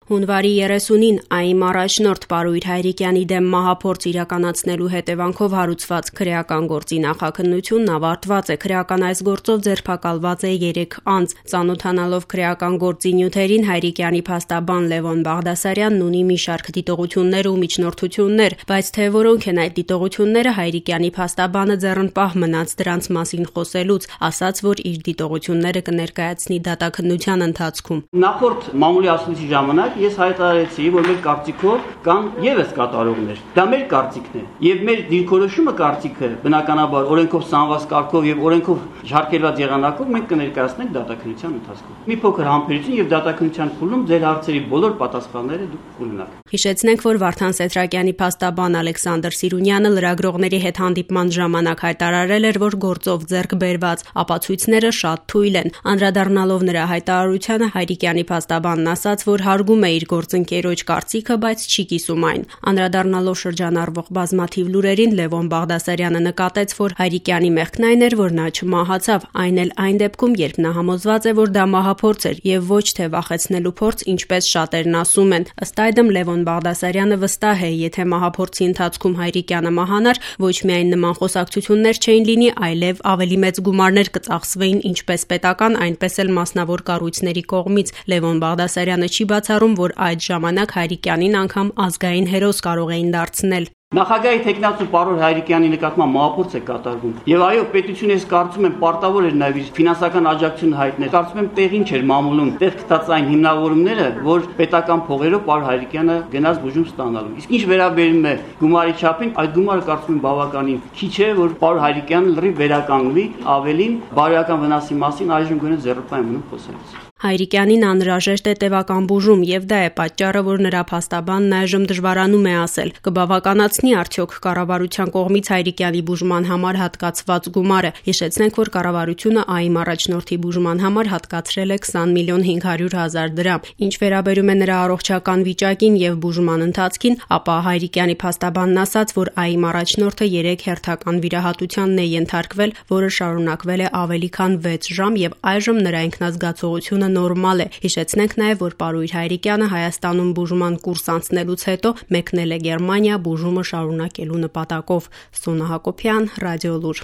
Հունվարի 30-ին ԱԻՄ առաջնորդ Պարույր Հայրիկյանի դեմ մահափորձ իրականացնելու հետևանքով հարուցված քրեական գործի նախաքննությունն ավարտված է։ Քրեական այս գործով ձերբակալված է 3 անձ։ Ծանոթանալով քրեական գործի նյութերին, Հայրիկյանի փաստաբան Լևոն Բաղդասարյանն ունի մի շարք դիտողություններ ու միջնորդություններ, բայց թե որոնք են այդ դիտողությունները, Հայրիկյանի փաստաբանը ձեռնպահ մնաց դրանց մասին խոսելուց, ասաց, որ իր դիտողությունները կներկայացնի դատաքննության ընթացքում։ Նախորդ մամուլի ասուլիսի ժամանակ ես հայտարարեցի, որ մեր կարծիքով կան ևս կատարողներ։ Դա մեր կարծիքն է։ Եվ մեր դիրքորոշումը կարծիքը, բնականաբար, օրենքով սահմանված կարգով եւ օրենքով շարքերված եղանակով մենք կներկայացնենք դատաքննության ընթացքում։ Մի փոքր համբերություն եւ դատաքննության փուլում ձեր հարցերի բոլոր պատասխանները դուք կունենաք։ Հիշեցնենք, որ Վարդան Սեդրակյանի փաստաբան Ալեքսանդր Սիրունյանը լրագրողների հետ հանդիպման ժամանակ հայտարարել էր, որ գործով ձեռք բերված ապացույցները շատ թույլ են։ Անդրադառնալով նրա հայտարարությանը, Հայրիկյանի փաստաբանն ասաց, որ հարգում է իր գործընկերոջ կարծիքը, բայց չի կիսում այն։ Անդրադառնալով շրջանառվող բազմաթիվ լուրերին, Լևոն Բաղդասարյանը նկատեց, որ Հայրիկյանի մեղքն այն էր, որ նա չմահացավ, այն էլ այն դեպքում, երբ նա համոզված է, որ դա մահափորձ էր եւ ոչ թե վախեցնելու փորձ, ինչպես շատերն ասում են։ Ըստ այդմ Լևոն Բաղդասարյանը վստահ է, եթե մահափորձի ընթացքում Հայրիկյանը մահանար, ոչ միայն նման խոսակցություններ չէին լինի, այլև ավելի մեծ գումարներ կծախսվեին ինչպես պետական, այնպես էլ մասնավոր կառույցների կողմից։ Լևոն Բաղդասարյանը չի բացառում, որ այդ ժամանակ Հայրիկյանին անգամ ազգային հերոս կարող էին դարձնել։ Նախագահի թեկնածու պարոն Հայրիկյանի նկատմամբ մահափորձ է կատարվում։ Եվ այո, պետությունը ես կարծում եմ պարտավոր էր նաև իր ֆինանսական աջակցություն հայտնել։ Կարծում եմ տեղին չէր մամուլում տեղ գտած այն հիմնավորումները, որ պետական փողերով պարոն Հայրիկյանը գնաց բուժում ստանալու։ Իսկ ինչ վերաբերում է գումարի չափին, այդ գումարը կարծում եմ բավականին քիչ է, որ պարոն Հայրիկյանը լրիվ վերականգնվի, ավելին բարոյական վնասի մասին այժմ գոնե ձեռնպահ մնում խոսելուց։ Հայրիկյանին անհրաժեշտ է տևական բուժում, եւ դա է պատճառը, որ նրա փաստաբանն այժմ դժվարանում է ասել, կբավականացնի արդյոք կառավարության կողմից Հայրիկյանի բուժման համար հատկացված գումարը։ Հիշեցնենք, որ կառավարությունը ԱԻՄ առաջնորդի բուժման համար հատկացրել է 20 միլիոն 500 հազար դրամ։ Ինչ վերաբերում է նրա առողջական վիճակին եւ բուժման ընթացքին, ապա Հայրիկյանի փաստաբանն ասաց, որ ԱԻՄ առաջնորդը 3 հերթական վիրահատությանն է ենթարկվել, որը շարունակվել է ավելի քան 6 ժամ եւ այժմ նրա ինքնազգացողությունը նորմալ է։ Հիշեցնենք նաև, որ Պարույր Հայրիկյանը Հայաստանում բուժման կուրս անցնելուց հետո մեկնել է Գերմանիա բուժումը շարունակելու նպատակով։ Սոնա Հակոբյան, Ռադիոլուր։